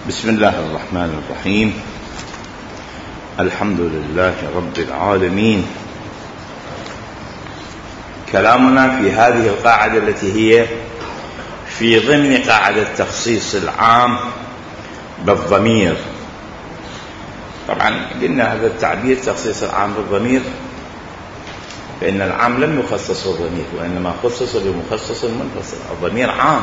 بسم الله الرحمن الرحيم. الحمد لله رب العالمين. كلامنا في هذه القاعدة التي هي في ضمن قاعدة تخصيص العام بالضمير. طبعا قلنا هذا التعبير تخصيص العام بالضمير فإن العام لم يخصص بالضمير وإنما خصص بمخصص منفصل. الضمير عام،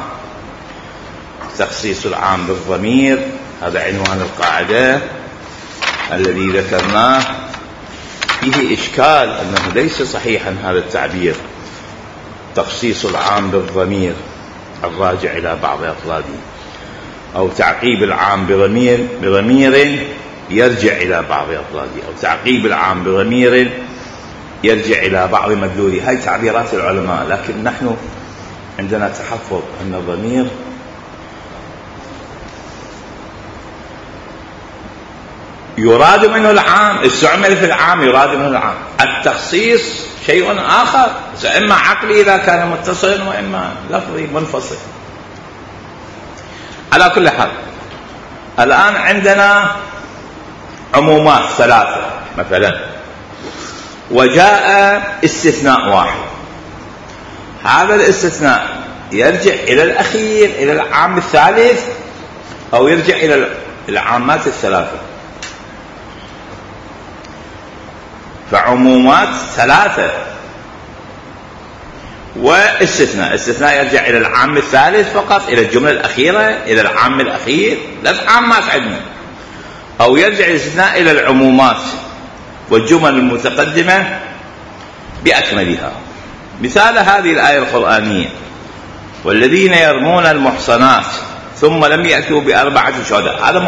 تخصيص العام بالضمير هذا عنوان القاعدة الذي ذكرناه. فيه إشكال أنه ليس صحيحا هذا التعبير تخصيص العام بالضمير الراجع إلى بعض أفراده، أو تعقيب العام بضمير يرجع إلى بعض أفراده، أو تعقيب العام بضمير يرجع إلى بعض مدلوله. هاي تعبيرات العلماء، لكن نحن عندنا تحفظ أن الضمير يراد منه العام، استعمل في العام يراد منه العام. التخصيص شيء آخر، إما عقلي إذا كان متصلا وإما لفظي منفصل. على كل حال الآن عندنا عمومات ثلاثة مثلا، وجاء استثناء واحد. هذا الاستثناء يرجع إلى الأخير إلى العام الثالث أو يرجع إلى العامات الثلاثة. فعمومات ثلاثة واستثناء، استثناء يرجع إلى العام الثالث فقط، إلى الجملة الأخيرة، إلى العام الأخير، لا عامات عندنا، أو يرجع الاستثناء إلى العمومات والجمل المتقدمة بأكملها. مثال هذه الآية القرآنية: والذين يرمون المحصنات ثم لم يأتوا بأربعة شهداء. هذا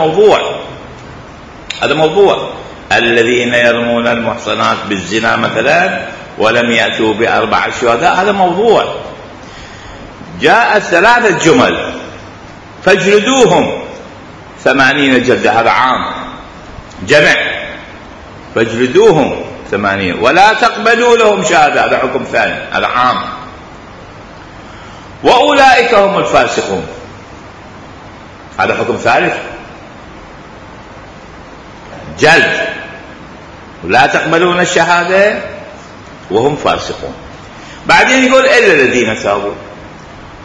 موضوع الذين يرمون المحصنات بالزنا مثلا ولم يأتوا بأربعة شهداء، هذا موضوع. جاءت ثلاثة جمل: فاجلدوهم 80 جلدة، هذا عام. جمع: فاجلدوهم 80 ولا تقبلوا لهم شهادة، هذا حكم ثاني، هذا عام. وأولئك هم الفاسقون، هذا حكم ثالث، جلد ولا تقبلون الشهادة وهم فاسقون. بعدين يقول إلا الذين تابوا.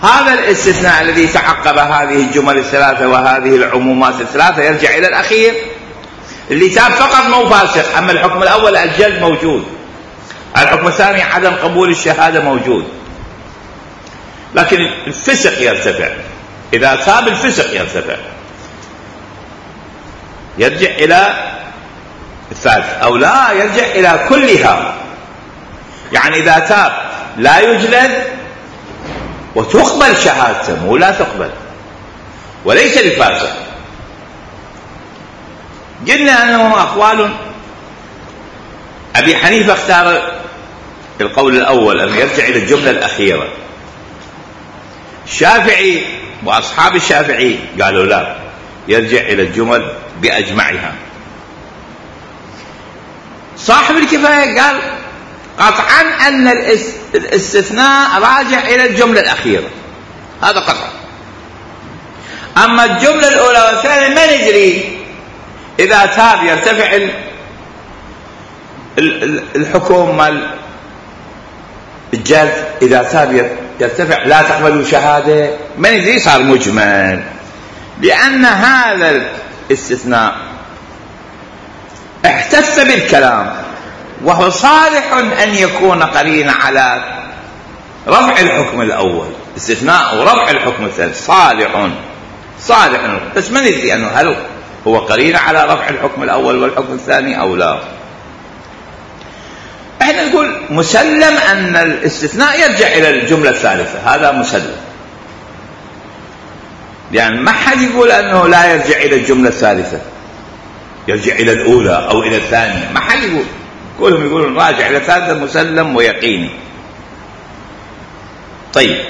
هذا الاستثناء الذي تعقب هذه الجمل الثلاثة وهذه العمومات الثلاثة يرجع إلى الأخير، اللي تاب فقط مو فاسق. أما الحكم الأول الجلد موجود، الحكم الثاني عدم قبول الشهادة موجود، لكن الفسق يرتفع. إذا تاب الفسق يرتفع، يرجع إلى الثالث، أو لا يرجع إلى كلها. يعني إذا تاب لا يجلد وتقبل شهادته، مو لا تقبل، وليس للفاسق. قلنا أنه أقوال. أبي حنيفة اختار القول الأول أن يرجع إلى الجملة الأخيرة. الشافعي وأصحاب الشافعي قالوا لا، يرجع إلى الجمل بأجمعها. صاحب الكفاية قال قطعا أن الاستثناء راجع إلى الجملة الأخيرة، هذا قطعا. أما الجملة الأولى والثانية ما ندري. إذا تاب يرتفع الحكم مال الجلد، إذا تاب يرتفع لا تقبلوا شهادة، ما ندري، صار مجمل. لأن هذا الاستثناء احتف بالكلام وهو صالح أن يكون قرينا على رفع الحكم الأول. استثناء ورفع الحكم الثاني صالح، بس ما ندري أنه هل هو قرين على رفع الحكم الأول والحكم الثاني أو لا. احنا نقول مسلم أن الاستثناء يرجع إلى الجملة الثالثة، هذا مسلم. يعني ما حد يقول أنه لا يرجع إلى الجملة الثالثة، يرجع إلى الأولى أو إلى الثانية، ما حد يقول. كلهم يقولون راجع إلى الثالثة، مسلم ويقيني. طيب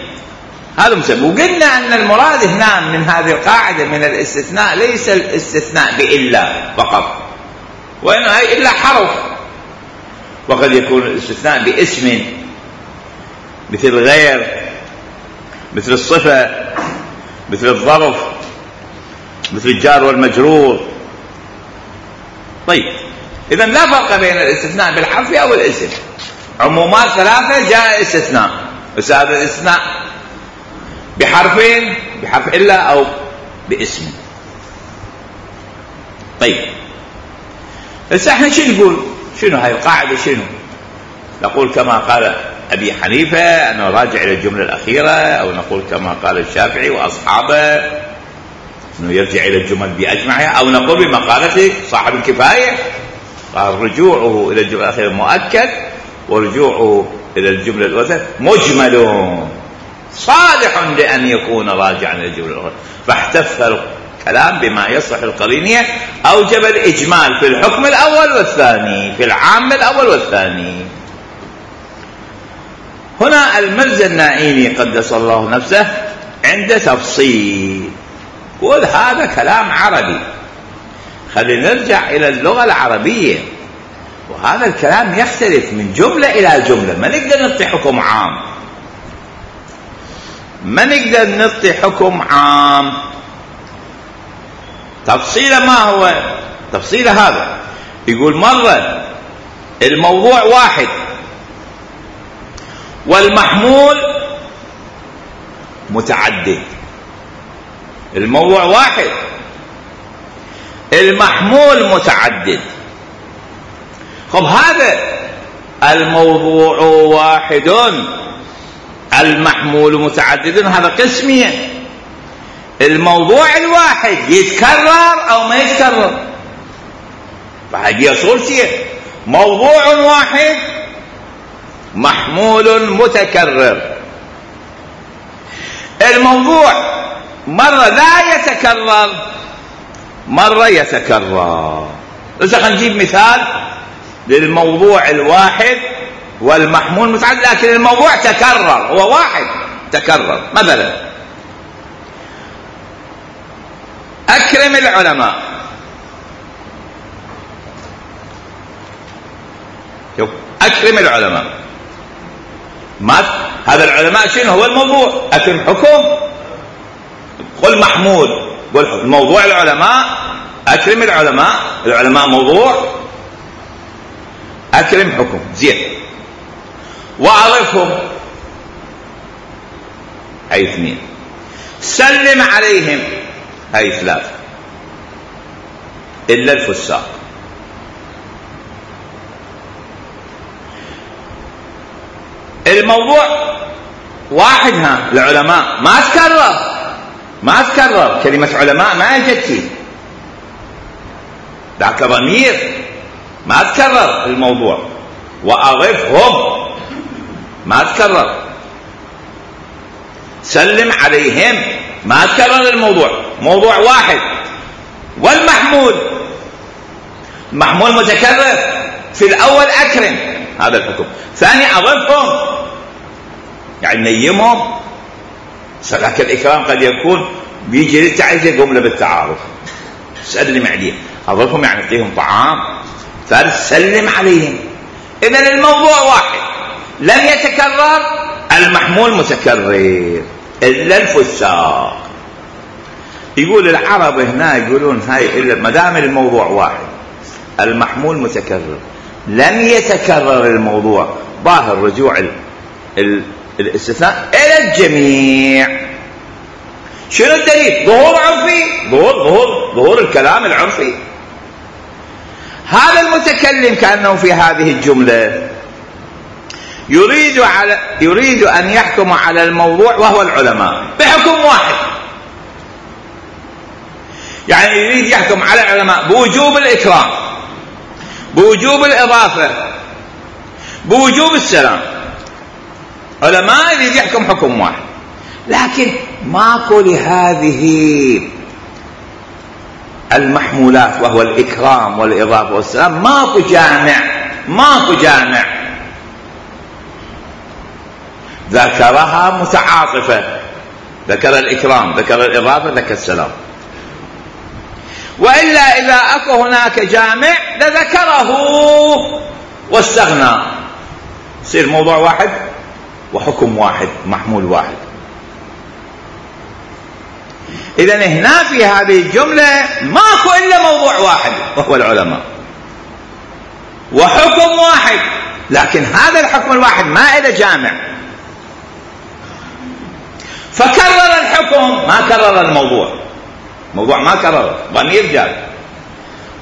هذا مسلم. وقلنا أن المراد هنا من هذه القاعدة من الاستثناء ليس الاستثناء بإلا فقط، وإنه إلا حرف. وقد يكون الاستثناء باسم مثل غير، مثل الصفة، مثل الظرف، مثل الجار والمجرور. طيب إذا لا فرق بين الاستثناء بالحرف أو الاسم. عمومات ثلاثة جاء استثناء، بس هذا الاستثناء بحرفين، بحرف إلا أو باسم. طيب هسه احنا شو نقول؟ شنو هاي القاعدة؟ شنو نقول؟ كما قال أبي حنيفة أنه راجع إلى الجملة الأخيرة، أو نقول كما قال الشافعي وأصحابه أنه يرجع إلى الجمل بأجمعها، أو نقول بمقالة صاحب الكفاية قال رجوعه إلى الجملة الأخيرة مؤكد ورجوعه إلى الجملة الأولى مجمل صالح لأن يكون راجعا إلى الجملة الأخيرة. فاحتف الكلام بما يصلح القرينية، أوجب الإجمال في الحكم الأول والثاني، في العام الأول والثاني. هنا المرزا النائيني قدس الله نفسه عند تفصيل، قول هذا كلام عربي، خلينا نرجع إلى اللغة العربية، وهذا الكلام يختلف من جملة إلى جملة، ما نقدر نعطي حكم عام، ما نقدر نعطي حكم عام. تفصيله ما هو؟ تفصيله هذا يقول مرة الموضوع واحد والمحمول متعدد. الموضوع واحد، المحمول متعدد. خب هذا الموضوع واحد المحمول متعدد، هذا قسمين. الموضوع الواحد يتكرر أو ما يتكرر، فهذه صورتين: موضوع واحد محمول متكرر. الموضوع مرة لا يتكرر، مرة يتكرر. إذا خلينا نجيب مثال للموضوع الواحد والمحمول متعدد، لكن الموضوع تكرر، هو واحد تكرر. مثلا أكرم العلماء، شوف أكرم العلماء، ما هذا العلماء شنو هو الموضوع؟ أكرم حكم، قل محمول، قل موضوع العلماء، أكرم العلماء، العلماء موضوع، أكرم حكم. زين، وأعرفهم، هاي اثنين. سلم عليهم، هاي ثلاثة، إلا الفساق. الموضوع واحد، ها العلماء ما تكرر، ما تكرر، كلمة علماء ما اجت، ذاك ضمير ما تكرر الموضوع. وأعرفهم ما تكرر. سلم عليهم ما تكرر الموضوع، موضوع واحد. والمحمول، محمول متكرر. في الأول أكرم، هذا الحكم. ثاني أعرفهم، يعني نيمهم. لكن الإكرام قد يكون بيجي للتعزية جملة بالتعارف، سلم عليهم، أعرفهم يعني أعطيهم طعام. ثالث سلم عليهم. إذن الموضوع واحد لم يتكرر، المحمول متكرر، إلا الفساق. يقول العرب هنا يقولون هاي إلا ما دام الموضوع واحد المحمول متكرر لم يتكرر الموضوع، ظاهر رجوع الاستثناء إلى الجميع. شنو الدليل؟ ظهور عرفي، ظهور الكلام العرفي. هذا المتكلم كأنه في هذه الجملة يريد أن يحكم على الموضوع وهو العلماء بحكم واحد، يعني يريد يحكم على العلماء بوجوب الإكرام، بوجوب الإضافة، بوجوب السلام. علماء يريد يحكم حكم واحد، لكن ماكو لهذه المحمولات وهو الإكرام والإضافة والسلام، ماكو جامع، ماكو جامع. ذكرها متعاطفة، ذكر الإكرام، ذكر الإضافة، ذكر السلام. وإلا إذا أكو هناك جامع لذكره واستغنى، يصير موضوع واحد وحكم واحد، محمول واحد. إذن هنا في هذه الجملة ماكو إلا موضوع واحد وهو العلماء، وحكم واحد، لكن هذا الحكم الواحد ما إله جامع، فكرر الحكم ما كرر الموضوع. موضوع ما كرر، ضمير جاء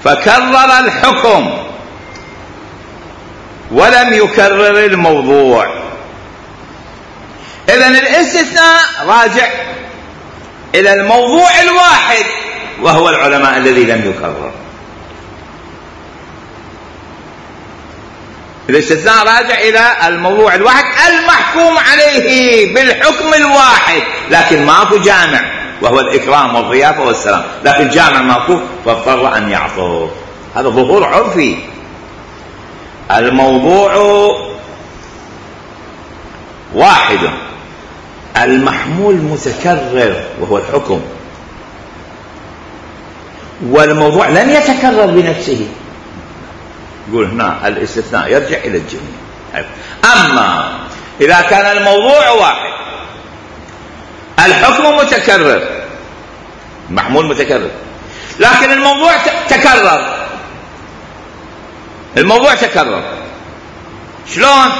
فكرر الحكم ولم يكرر الموضوع. إذن الاستثناء راجع إلى الموضوع الواحد وهو العلماء الذي لم يكرر. الاستثناء راجع إلى الموضوع الواحد المحكوم عليه بالحكم الواحد، لكن ماكو جامع وهو الإكرام والضيافة والسلام، لكن جامع ماكو فاضطر أن يعطف. هذا ظهور عرفي. الموضوع واحد، المحمول متكرر وهو الحكم، والموضوع لن يتكرر بنفسه. يقول هنا الاستثناء يرجع إلى الجميع. أما إذا كان الموضوع واحد، الحكم متكرر، المحمول متكرر، لكن الموضوع تكرر، الموضوع تكرر. شلون؟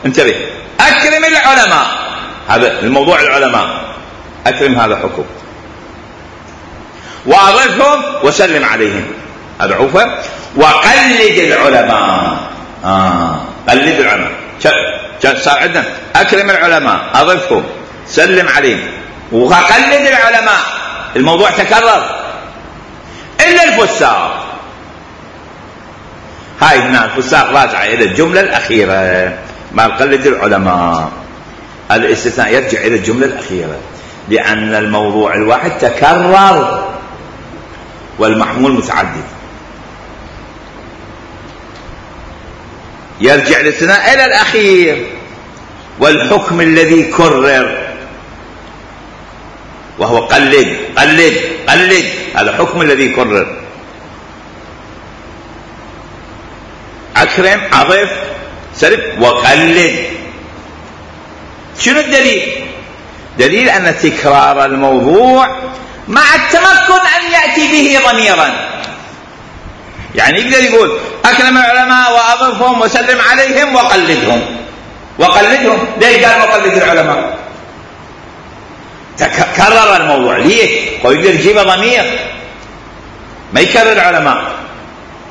انتبه، أكرم العلماء، هذا الموضوع العلماء، أكرم هذا حكم، وأعرفهم وسلم عليهم، هذا عوفة. وقلد العلماء، قلد العلماء، صار عندنا أكرم العلماء، أضفهم، سلم عليهم، وقلد العلماء. الموضوع تكرر إلا الفساق. هاي هنا الفساق راجعة إلى الجملة الأخيرة، ما قلد العلماء. الاستثناء يرجع إلى الجملة الأخيرة لأن الموضوع الواحد تكرر والمحمول متعدد. يرجع الاستثناء إلى الأخير والحكم الذي كرر وهو قلد قلد قلد، هذا الحكم الذي كرر. أكرم، أضف، سلم، وقلد. شنو الدليل؟ دليل أن تكرار الموضوع مع التمكن أن يأتي به ضميرا. يعني يقدر يقول أكرم العلماء وأضفهم وسلم عليهم وقلدهم. وقلدهم ليش قال وقلد العلماء؟ تكرر الموضوع. ليه؟ ويقدر يجيب ضمير ما يكرر العلماء.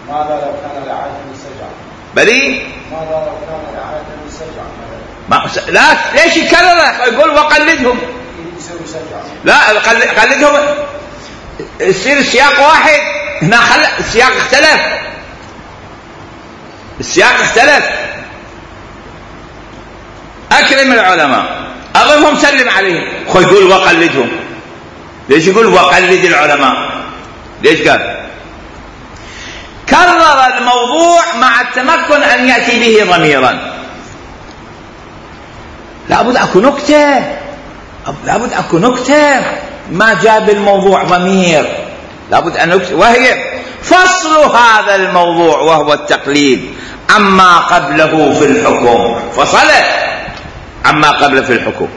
ماذا لو كان لعادة السجع؟ بلي ماذا لو كان لعادة السجع؟ لا، ليش يكرره؟ يقول وقلدهم. يسوي سجع. لا، قلدهم يصير السياق واحد. هنا السياق اختلف، السياق اختلف. أكرم العلماء، أضفهم، سلم عليهم، يقول وقلدهم. ليش يقول وقلد العلماء؟ ليش قال؟ كرر الموضوع مع التمكن أن يأتي به ضميرا. لابد أكو نكتة، لابد أكو نكتة ما جاب الموضوع ضمير، لابد أن نكتة، وهي فصل هذا الموضوع وهو التقليد عما قبله في الحكم. فصل عما قبله في الحكم.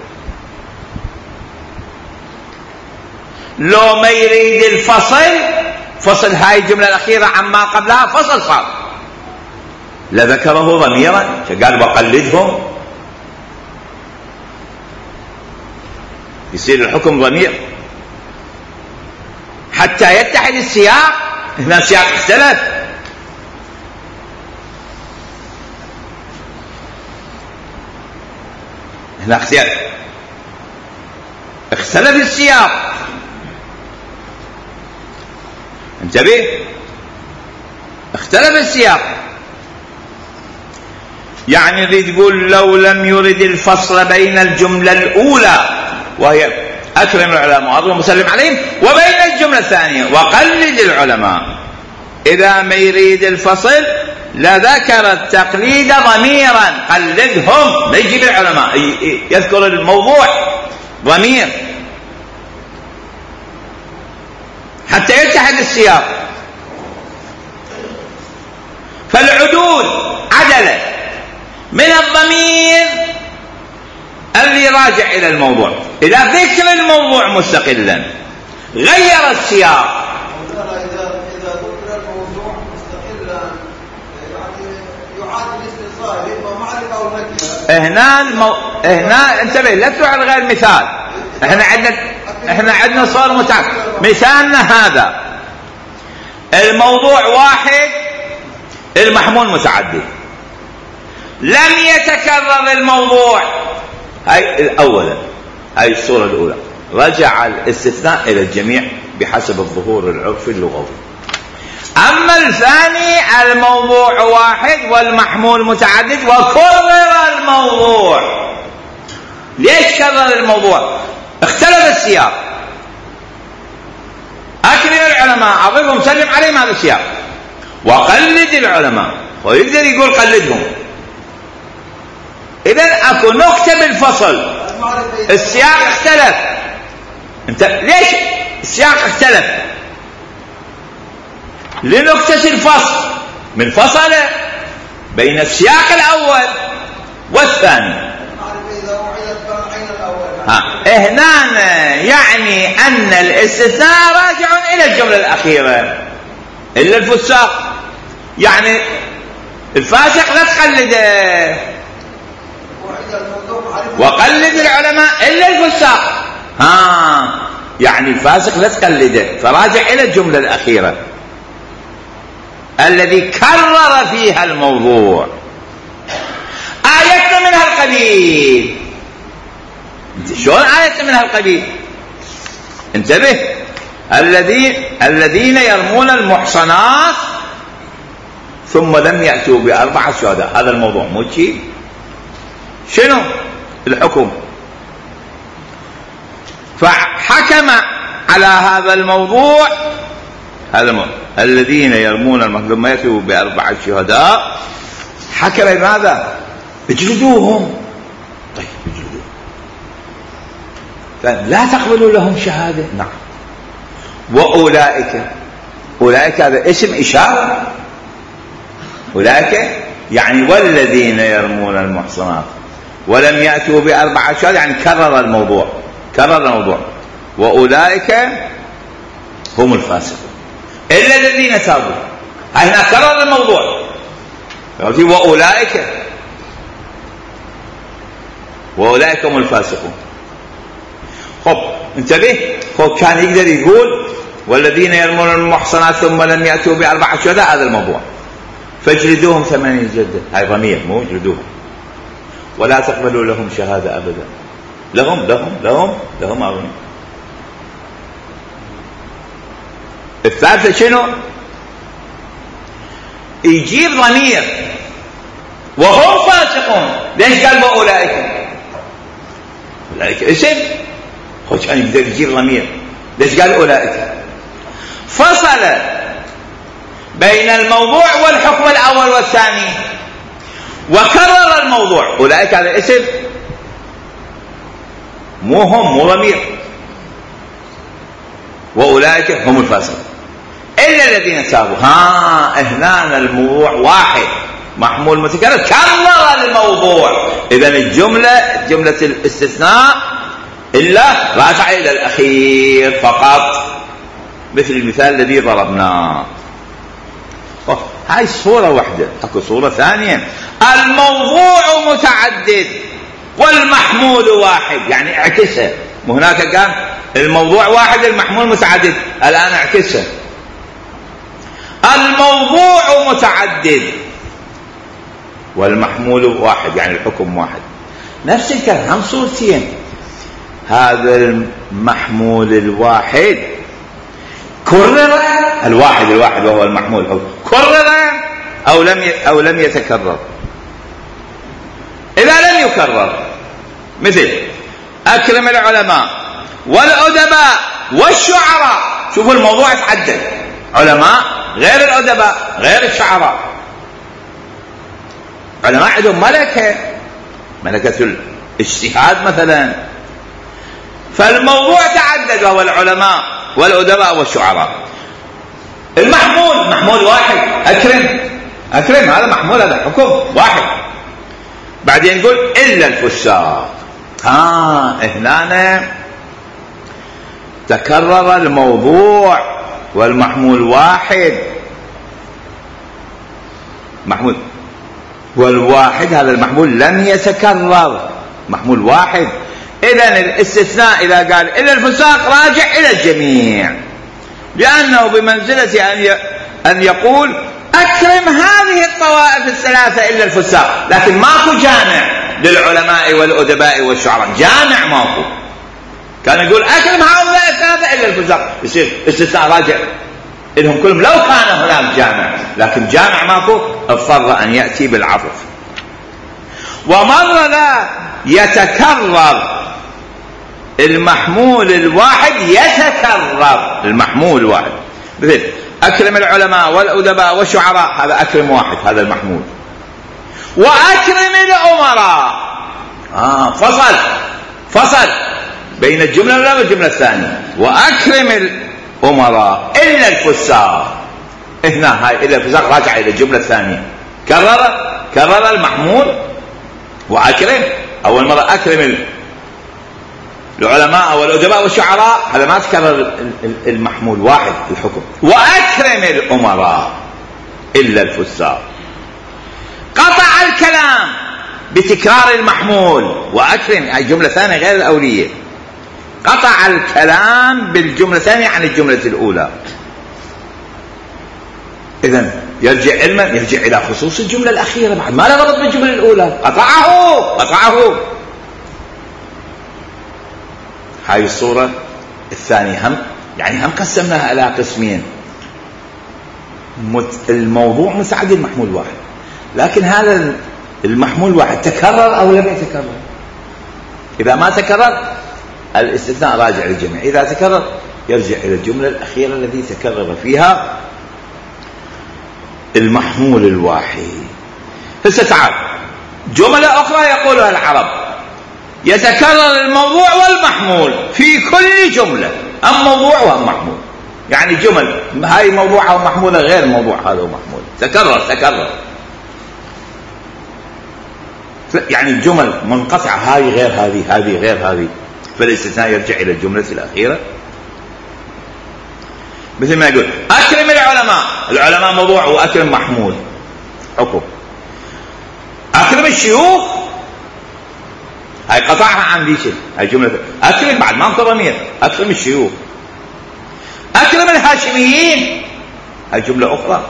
لو ما يريد الفصل، فصل هاي الجملة الأخيرة عما قبلها، فصل صار، لذكره ضميرا، قال وقلدهم، يصير الحكم ضمير حتى يتحد السياق. هنا السياق اختلف، هنا اختلف السياق. انتبه، اختلف السياق. يعني يريد يقول لو لم يرد الفصل بين الجملة الأولى وهي أكرم العلماء وأضرب وسلم عليهم وبين الجملة الثانية وقلد العلماء، إذا ما يريد الفصل لذكر التقليد ضميرا، قلدهم، ما يجيب العلماء، يذكر الموضوع ضمير حتى يتحد السياق. فالعدول عدله من الضمير اللي راجع إلى الموضوع إلى ذكر الموضوع مستقلا، غير السياق. إذا ذكر الموضوع مستقلا يعني يعاد الاستئصال يبقى معرفة أو نكرة. هنا انتبه لا تروح على غير مثال. احنا عندنا صور متعدد. مثالنا هذا الموضوع واحد المحمول متعدد، لم يتكرر الموضوع. هاي الأولى، هاي الصورة الأولى، رجع الاستثناء إلى الجميع بحسب الظهور العرفي اللغوي. أما الثاني الموضوع واحد والمحمول متعدد وكرر الموضوع. ليش كرر الموضوع؟ اختلف السياق. أكرم العلماء، أضربهم، سلم عليهم، هذا السياق. وقلد العلماء، ويقدر يقول قلدهم. إذن أكو نكتة بالفصل، السياق اختلف. انت ليش السياق اختلف؟ لنكتة الفصل، من فصل بين السياق الأول والثاني. هنا يعني أن الاستثناء راجع إلى الجملة الأخيرة إلا الفساق. يعني الفاسق لا تقلده، وقلد العلماء إلا الفساق. يعني الفاسق لا تقلده، فراجع إلى الجملة الأخيرة الذي كرر فيها الموضوع. آية من هالقبيل. شلون آية من هالقبيل؟ انتبه، الذين يرمون المحصنات ثم لم يأتوا بأربعة شهداء. هذا الموضوع مو شيء. شنو الحكم؟ فحكم على هذا الموضوع الذين يرمون المحصنات ثم يأتوا بأربعة شهداء. حكم ماذا؟ اجلدوهم. طيب اجلدوهم، فلا تقبلوا لهم شهادة. نعم. وأولئك هذا اسم إشارة. أولئك يعني والذين يرمون المحصنات ولم يأتوا بأربعة شهداء، يعني كرر الموضوع. وأولئك هم الفاسقون إلا الذين تابوا. هنا كرر الموضوع. وأولئك هم الفاسقون. خب انتبه، كان يقدر يقول والذين يرمون المحصنات ثم لم يأتوا بأربعة شهداء، هذا الموضوع، فاجلدوهم 8 جلدة. هاي ضمير، مو اجلدوهم. ولا تقبلوا لهم شهادة أبدا. لهم أغنى. الثالثة شنو؟ يجيب ضمير وهم فاسقون. ليش قال وأولئك؟ أولئك اسم، كان يقدر يجيب ضمير. ليش قال أولئك؟ فصل بين الموضوع والحكم الأول والثاني وكرر الموضوع. أولئك هذا اسم، مو ضمير. وأولئك هم الفاسقون إلا الذين تابوا. هنا الموضوع واحد محمول متكرر، كرر الموضوع. إذن جملة الاستثناء إلا راجع إلى الأخير فقط، مثل المثال الذي ضربناه. هاي صورة واحدة. اكو صورة ثانية، الموضوع متعدد والمحمول واحد، يعني اعكسها. وهناك قال الموضوع واحد المحمول متعدد، الآن اعكسها. الموضوع متعدد والمحمول واحد، يعني الحكم واحد. نفس الكلام، هم صورتين. هذا المحمول الواحد كرر، الواحد وهو المحمول كرر أو لم يتكرر. إذا لم يكرر، مثل أكرم العلماء والأدباء والشعراء. شوفوا الموضوع يتعدد، علماء غير الأدباء غير الشعراء. علماء عندهم ملكة الاجتهاد مثلا، فالموضوع تعدد، وهو العلماء والأدباء والشعراء. محمول واحد، أكرم هذا محمول، هذا حكم واحد. بعدين نقول إلا الفساق. هنا تكرر الموضوع والمحمول واحد، محمول والواحد هذا المحمول لم يتكرر، محمول واحد. إذن الاستثناء إذا قال إلا الفساق راجع إلى الجميع، لأنه بمنزلة أن يقول أكرم هذه الطوائف الثلاثة إلا الفساق، لكن ماكو جامع للعلماء والأدباء والشعراء، جامع ماكو. كان يقول أكرم هؤلاء الثلاثة إلا الفساق، يصير استثناء راجع إلهم كلهم لو كان هناك جامع، لكن جامع ماكو، اضطر أن يأتي بالعطف. ومرة لا يتكرر المحمول الواحد، يتكرر المحمول الواحد، مثل أكرم العلماء والأدباء والشعراء، هذا أكرم واحد، هذا المحمول. وأكرم الأمراء، فصل بين الجملة الأولى والجملة الثانية. وأكرم الأمراء إلا الفساق، هنا هاي إلا الفساق راجع إلى الجملة الثانية، كرر المحمول. وأكرم أول مرة أكرم العلماء والأدباء والشعراء، هذا ما تكرر المحمول واحد الحكم. وأكرم الأمراء إلا الفساق، قطع الكلام بتكرار المحمول. وأكرم الجملة الثانية غير الأولية، قطع الكلام بالجملة الثانية عن الجملة الأولى. إذن يرجع علما، يرجع إلى خصوص الجملة الأخيرة، بعد ما لا ربط بالجملة الأولى، قطعه. هاي الصورة الثانية هم قسمناها إلى قسمين. الموضوع متعدد محمول واحد، لكن هذا المحمول واحد تكرر أو لم يتكرر. إذا ما تكرر الاستثناء راجع للجميع، إذا تكرر يرجع إلى الجملة الأخيرة التي تكرر فيها المحمول الواحد. هسه تعال جملة أخرى يقولها العرب، يتكرر الموضوع والمحمول في كل جملة، أم موضوع وأم محمول. يعني جمل هاي موضوعها ومحمولة غير موضوع هذا ومحمول، تكرر. يعني الجمل منقطعة، هاي غير هذه، هذه غير هذه، فالاستثناء يرجع إلى الجملة الأخيرة. مثل ما يقول أكرم العلماء موضوع وأكرم محمول حكم. أكرم الشيوخ هاي قطعها عن ذي شيء، هاي جملة. أكرم بعد ما ضمير، أكرم الشيوخ. أكرم الهاشميين هاي جملة أخرى،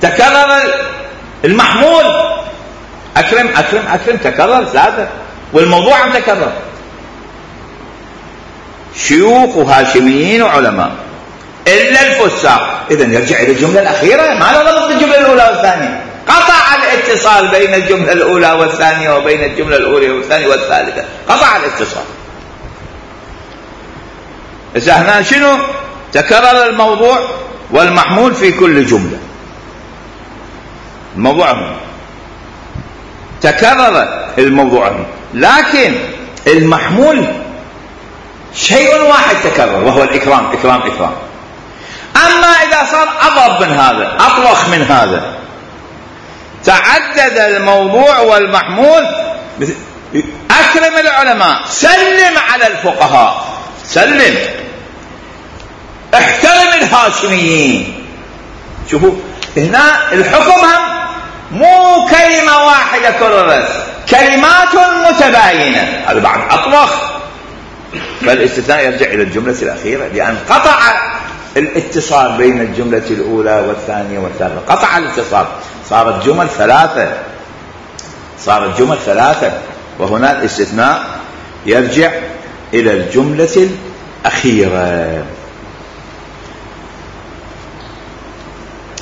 تكرر المحمول. أكرم تكرر ثلاثة، والموضوع عم تكرر، شيوخ وهاشميين وعلماء إلا الفساق. إذن يرجع إلى الجملة الأخيرة، ما له ربط بالجملة الأولى والثانية، قطع الاتصال بين الجملة الأولى والثانية وبين الجملة الأولى والثانية والثالثة، قطع الاتصال. إذا هنا شنو؟ تكرر الموضوع والمحمول في كل جملة. الموضوع تكرر الموضوع، لكن المحمول شيء واحد تكرر، وهو الإكرام. أما إذا صار أضرب من هذا، أطوخ من هذا، تعدد الموضوع والمحمول. أكرم العلماء، سلم على الفقهاء، سلم. احترم الهاشميين. شوفوا هنا الحكم هم مو كلمة واحدة كررت، كلمات متباينة، هذا بعد أطوخ. فالاستثناء يرجع إلى الجملة الأخيرة، لأن قطع الاتصال بين الجملة الأولى والثانية والثالثة، قطع الاتصال، صارت جمل ثلاثة. وهنا الاستثناء يرجع إلى الجملة الأخيرة.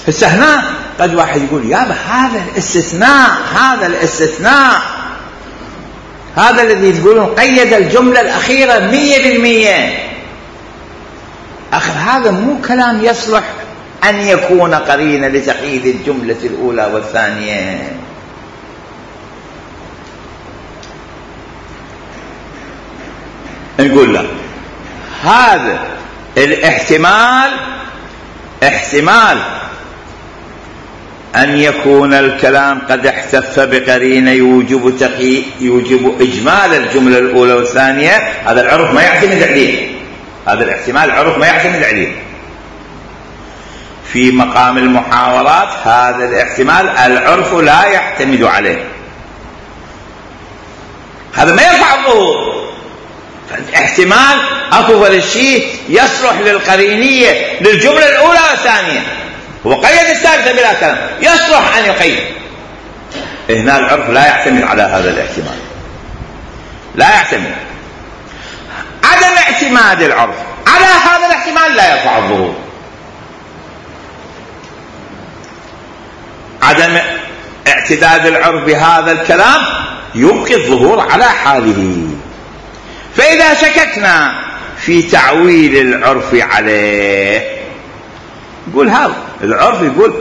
هسه هنا قد واحد يقول يابا هذا الاستثناء هذا الذي تقولون قيد الجملة الأخيرة 100%. أخر هذا مو كلام يصلح أن يكون قرينا لتقييد الجملة الأولى والثانية. نقول لا، هذا احتمال أن يكون الكلام قد احتف بقرينة يوجب إجمال الجملة الأولى والثانية، هذا العرف ما يعتمد عليه، هذا الاحتمال العرف ما يعتمد عليه. في مقام المحاورات هذا الاحتمال العرف لا يعتمد عليه، هذا ما يرفع الظهور. احتمال أفضل الشيء يصلح للقرينية للجملة الأولى والثانية، هو قيد الثالثة بلا كلام، يصلح أن يقيد. هنا العرف لا يعتمد على هذا الاحتمال، لا يعتمد. عدم اعتماد العرف على هذا الاحتمال لا يرفع الظهور. عدم اعتداد العرف بهذا الكلام يبقي الظهور على حاله. فإذا شككنا في تعويل العرف عليه، يقول هذا العرف يقول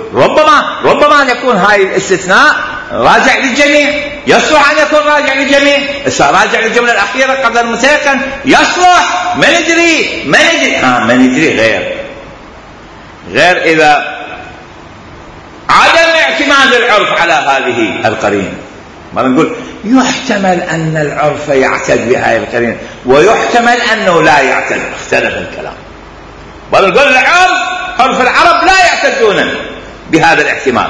ربما أن يكون هاي الاستثناء راجع للجميع، يصلح أن يكون راجع للجميع. راجع للجملة الأخيرة قبل المتيقن يصلح، ما ندري غير إذا عدم اعتماد العرف على هذه القرينة. ما نقول يحتمل أن العرف يعتد بهذه القرينة ويحتمل أنه لا يعتد، اختلف الكلام. بل نقول عرف العرب لا يعتدون بهذا الاحتمال،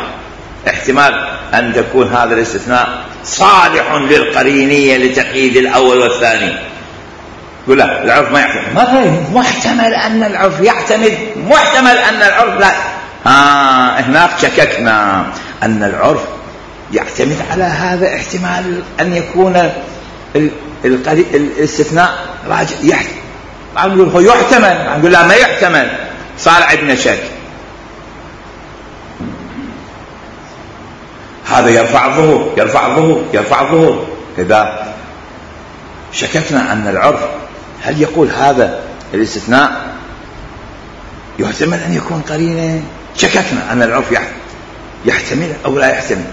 احتمال أن تكون هذا الاستثناء صالح للقرينية لتقييد الأول والثاني. يقول لا، العرف ما يعتمد، محتمل أن العرف يعتمد، محتمل أن العرف لا. هناك شككنا أن العرف يعتمد على هذا احتمال أن يكون الاستثناء راجع. نقول هو يحتمل، نقول لا ما يحتمل، صار عندنا شك. هذا يرفع الظهور. إذا شككنا أن العرف هل يقول هذا الاستثناء يحتمل أن يكون قرينة، شككنا أن العرف يحتمل أو لا يحتمل،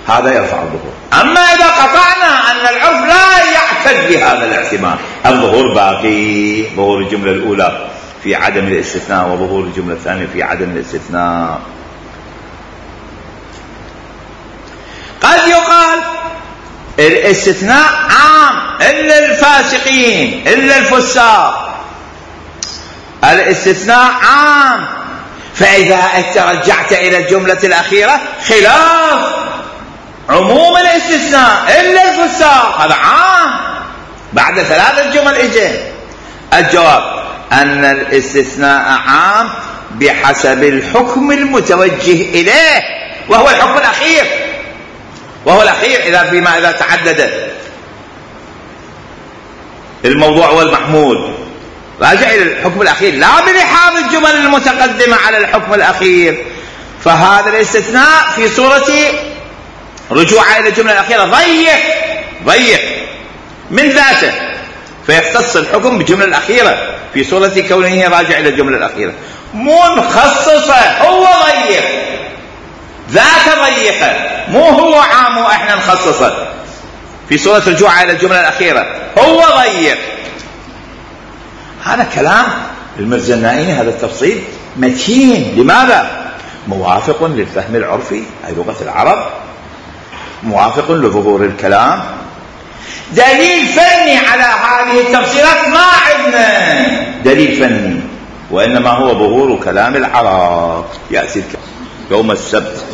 هذا يرفع الظهور. أما إذا قطعنا أن العرف لا يعتد بهذا الاحتمال، الظهور باقي، ظهور الجملة الأولى في عدم الاستثناء وظهور الجملة الثانية في عدم الاستثناء. قد يقال الاستثناء عام إلا الفاسقين إلا الفساق، الاستثناء عام، فإذا رجعت إلى الجملة الأخيرة خلاف عموم الاستثناء إلا الفساق، هذا عام. بعد 3 جمل إجا الجواب أن الاستثناء عام بحسب الحكم المتوجه إليه، وهو الحكم الأخير، إذا تعدد الموضوع والمحمول راجع إلى الحكم الأخير، لا بلحاظ الجمل المتقدمة على الحكم الأخير. فهذا الاستثناء في صورة رجوع إلى الجملة الأخيرة ضيق من ذاته، فيختص الحكم بالجملة الأخيرة في صورة كونه راجع إلى الجملة الأخيرة. منخصصة، هو ضيق، ذات ضيقة، مو هو عام وإحنا نخصصه في صورة رجوع إلى الجملة الأخيرة، هو ضيق. هذا كلام المرزنائي، هذا التفصيل متين. لماذا؟ موافق للفهم العرفي، أي لغة العرب، موافق لظهور الكلام. دليل فني على هذه التفصيلات ما عندنا دليل فني، وإنما هو ظهور كلام العرب. يأتي يوم السبت